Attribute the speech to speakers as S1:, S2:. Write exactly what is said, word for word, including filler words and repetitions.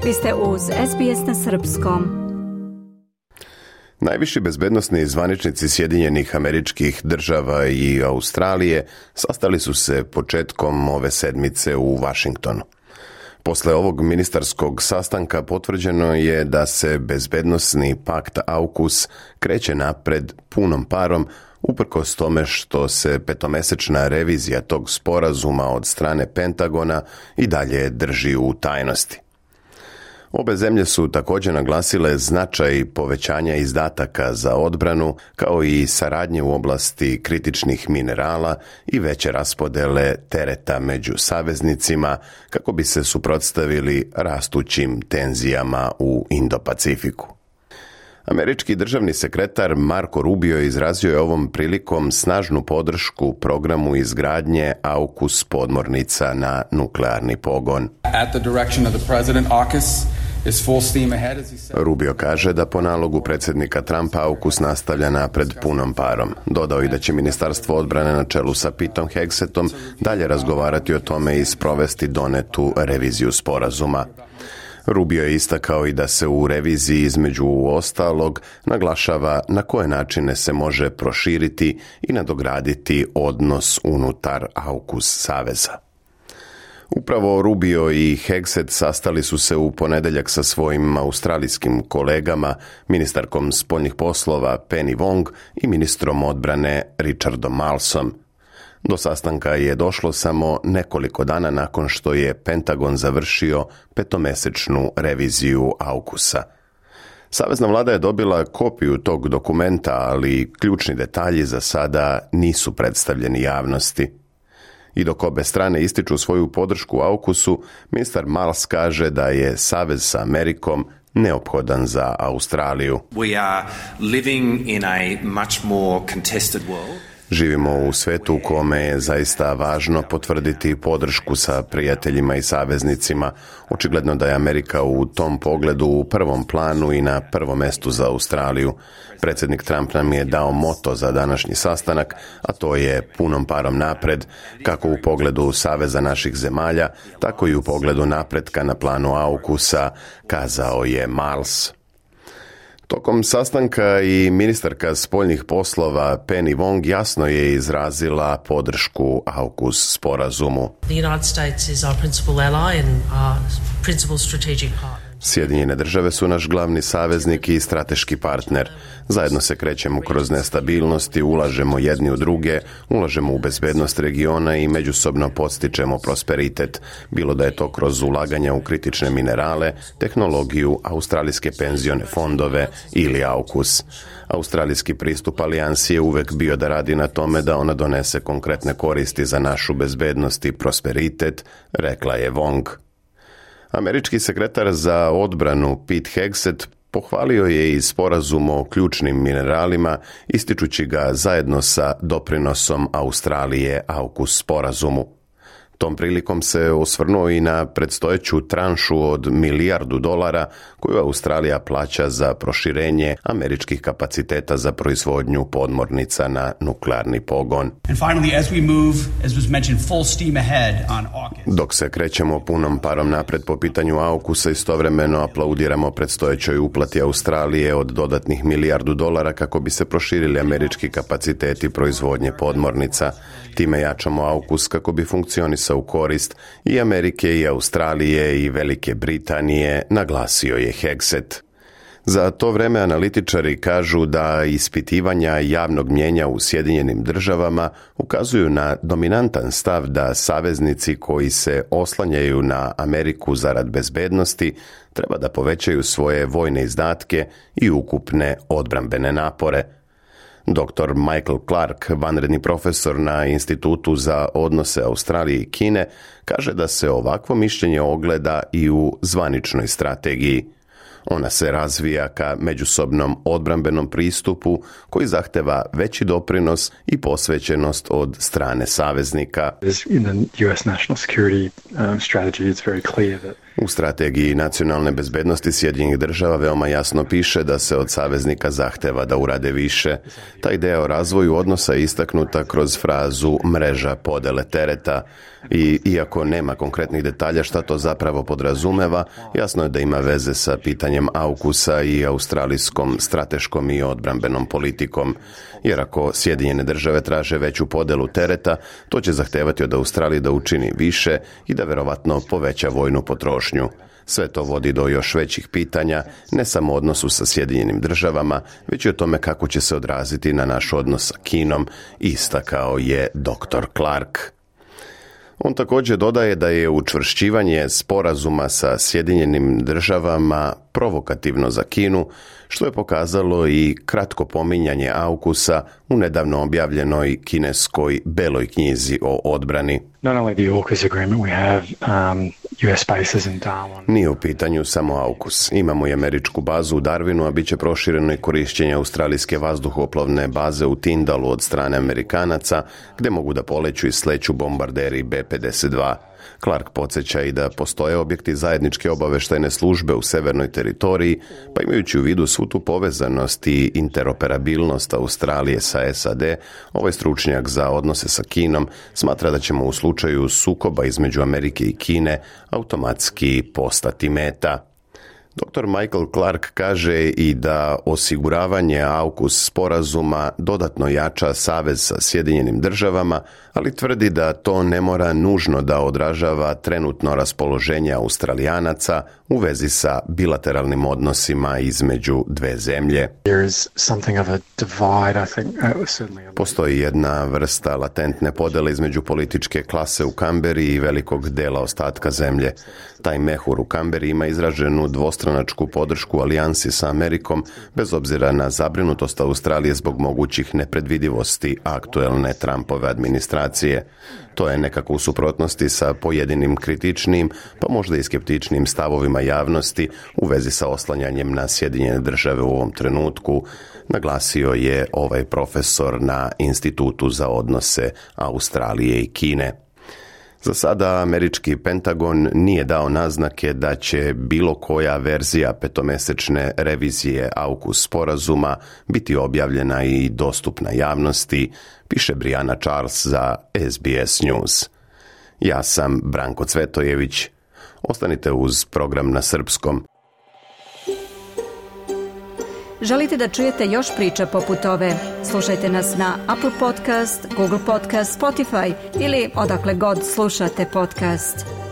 S1: Vi ste uz S B S na srpskom.
S2: Najviši bezbednosni zvaničnici Sjedinjenih Američkih Država i Australije sastali su se početkom ove sedmice u Vašingtonu. Posle ovog ministarskog sastanka potvrđeno je da se bezbednosni pakt AUKUS kreće napred punom parom, uprkos tome što se petomesečna revizija tog sporazuma od strane Pentagona i dalje drži u tajnosti. Obe zemlje su također naglasile značaj povećanja izdataka za odbranu, kao i saradnje u oblasti kritičnih minerala i veće raspodele tereta među saveznicima kako bi se suprotstavili rastućim tenzijama u Indo-Pacifiku. Američki državni sekretar Marco Rubio izrazio je ovom prilikom snažnu podršku programu izgradnje AUKUS podmornica na nuklearni pogon.
S3: At the direction of the president, AUKUS is full steam ahead, as he said.
S2: Rubio kaže da po nalogu predsjednika Trumpa AUKUS nastavlja napred punom parom. Dodao i da će Ministarstvo odbrane na čelu sa Petom Hegsetom dalje razgovarati o tome i sprovesti donetu reviziju sporazuma. Rubio je istakao i da se u reviziji između ostalog naglašava na koje načine se može proširiti i nadograditi odnos unutar AUKUS saveza. Upravo Rubio i Hegset sastali su se u ponedjeljak sa svojim australijskim kolegama, ministarkom spoljnih poslova Penny Wong i ministrom odbrane Richardom Marlesom. Do sastanka je došlo samo nekoliko dana nakon što je Pentagon završio petomesečnu reviziju AUKUS-a. Savezna vlada je dobila kopiju tog dokumenta, ali ključni detalji za sada nisu predstavljeni javnosti. I dok obe strane ističu svoju podršku AUKUS-u, ministar Marles kaže da je savez sa Amerikom neophodan za Australiju.
S4: We are living in a much more contested world.
S2: Živimo u svetu u kome je zaista važno potvrditi podršku sa prijateljima i saveznicima. Očigledno da je Amerika u tom pogledu u prvom planu i na prvom mestu za Australiju. Predsjednik Trump nam je dao moto za današnji sastanak, a to je punom parom napred, kako u pogledu saveza naših zemalja, tako i u pogledu napretka na planu AUKUS-a, kazao je Marles. Tokom sastanka i ministarka spoljnih poslova Penny Wong jasno je izrazila podršku AUKUS sporazumu.
S5: The United States is our principal ally and our principal strategic partner.
S2: Sjedinjene države su naš glavni saveznik i strateški partner. Zajedno se krećemo kroz nestabilnosti, ulažemo jedni u druge, ulažemo u bezbednost regiona i međusobno podstičemo prosperitet, bilo da je to kroz ulaganja u kritične minerale, tehnologiju, australijske penzione fondove ili AUKUS. Australijski pristup alijansi je uvek bio da radi na tome da ona donese konkretne koristi za našu bezbednost i prosperitet, rekla je Wong. Američki sekretar za odbranu Pete Hegset pohvalio je i sporazum o ključnim mineralima, ističući ga zajedno sa doprinosom Australije AUKUS sporazumu. Tom prilikom se osvrnuo i na predstojeću tranšu od milijardu dolara koju Australija plaća za proširenje američkih kapaciteta za proizvodnju podmornica na nuklearni pogon.
S6: And finally, as we move, as was mentioned, full steam ahead on AUKUS.
S2: Dok se krećemo punom parom napred po pitanju AUKUS-a, istovremeno aplaudiramo predstojećoj uplati Australije od dodatnih milijardu dolara kako bi se proširili američki kapaciteti proizvodnje podmornica. Time jačamo AUKUS kako bi funkcionisao u korist i Amerike i Australije i Velike Britanije, naglasio je Hegset. Za to vreme analitičari kažu da ispitivanja javnog mnijenja u Sjedinjenim državama ukazuju na dominantan stav da saveznici koji se oslanjaju na Ameriku zarad bezbednosti treba da povećaju svoje vojne izdatke i ukupne odbrambene napore. doktor Michael Clark, vanredni profesor na Institutu za odnose Australije i Kine, kaže da se ovakvo mišljenje ogleda i u zvaničnoj strategiji. Ona se razvija ka međusobnom odbrambenom pristupu koji zahteva veći doprinos i posvećenost od strane saveznika. U strategiji nacionalne bezbednosti Sjedinjenih država veoma jasno piše da se od saveznika zahteva da urade više. Ta ideja o razvoju odnosa je istaknuta kroz frazu mreža podele tereta i iako nema konkretnih detalja šta to zapravo podrazumeva, jasno je da ima veze sa pitanjem AUKUS-a i australijskom strateškom i odbrambenom politikom. Jer ako Sjedinjene države traže veću podelu tereta, to će zahtevati od Australije da učini više i da verovatno poveća vojnu potrošnju. Sve to vodi do još većih pitanja, ne samo o odnosu sa Sjedinjenim državama, već i o tome kako će se odraziti na naš odnos sa Kinom, istakao je doktor Clark. On također dodaje da je učvršćivanje sporazuma sa Sjedinjenim državama provokativno za Kinu, što je pokazalo i kratko pominjanje AUKUS-a u nedavno objavljenoj kineskoj beloj knjizi o odbrani. Nije u pitanju samo AUKUS. Imamo i američku bazu u Darwinu, a bit će prošireno i korišćenje australijske vazduhoplovne baze u Tindalu od strane Amerikanaca, gdje mogu da poleću i sleću bombarderi B pedeset dva. Clark podsjeća i da postoje objekti zajedničke obaveštajne službe u severnoj teritoriji, pa imajući u vidu svu tu povezanost i interoperabilnost Australije sa S A D, ovaj stručnjak za odnose sa Kinom smatra da ćemo u slučaju sukoba između Amerike i Kine automatski postati meta. doktor Michael Clark kaže i da osiguravanje AUKUS sporazuma dodatno jača savez sa Sjedinjenim državama, ali tvrdi da to ne mora nužno da odražava trenutno raspoloženje Australijanaca u vezi sa bilateralnim odnosima između dve zemlje. Postoji jedna vrsta latentne podele između političke klase u Kamberi i velikog dela ostatka zemlje. Taj mehur u Kamberi ima izraženu dvostranačku podršku alijansi sa Amerikom, bez obzira na zabrinutost Australije zbog mogućih nepredvidivosti aktuelne Trumpove administracije. To je nekako u suprotnosti sa pojedinim kritičnim, pa možda i skeptičnim stavovima javnosti u vezi sa oslanjanjem na Sjedinjene države u ovom trenutku, naglasio je ovaj profesor na Institutu za odnose Australije i Kine. Za sada američki Pentagon nije dao naznake da će bilo koja verzija petomesečne revizije AUKUS sporazuma biti objavljena i dostupna javnosti, piše Briana Charles za S B S News. Ja sam Branko Cvetojević. Ostanite uz program na srpskom.
S1: Želite da čujete još priča poput ove? Slušajte nas na Apple Podcast, Google Podcast, Spotify ili odakle god slušate podcast.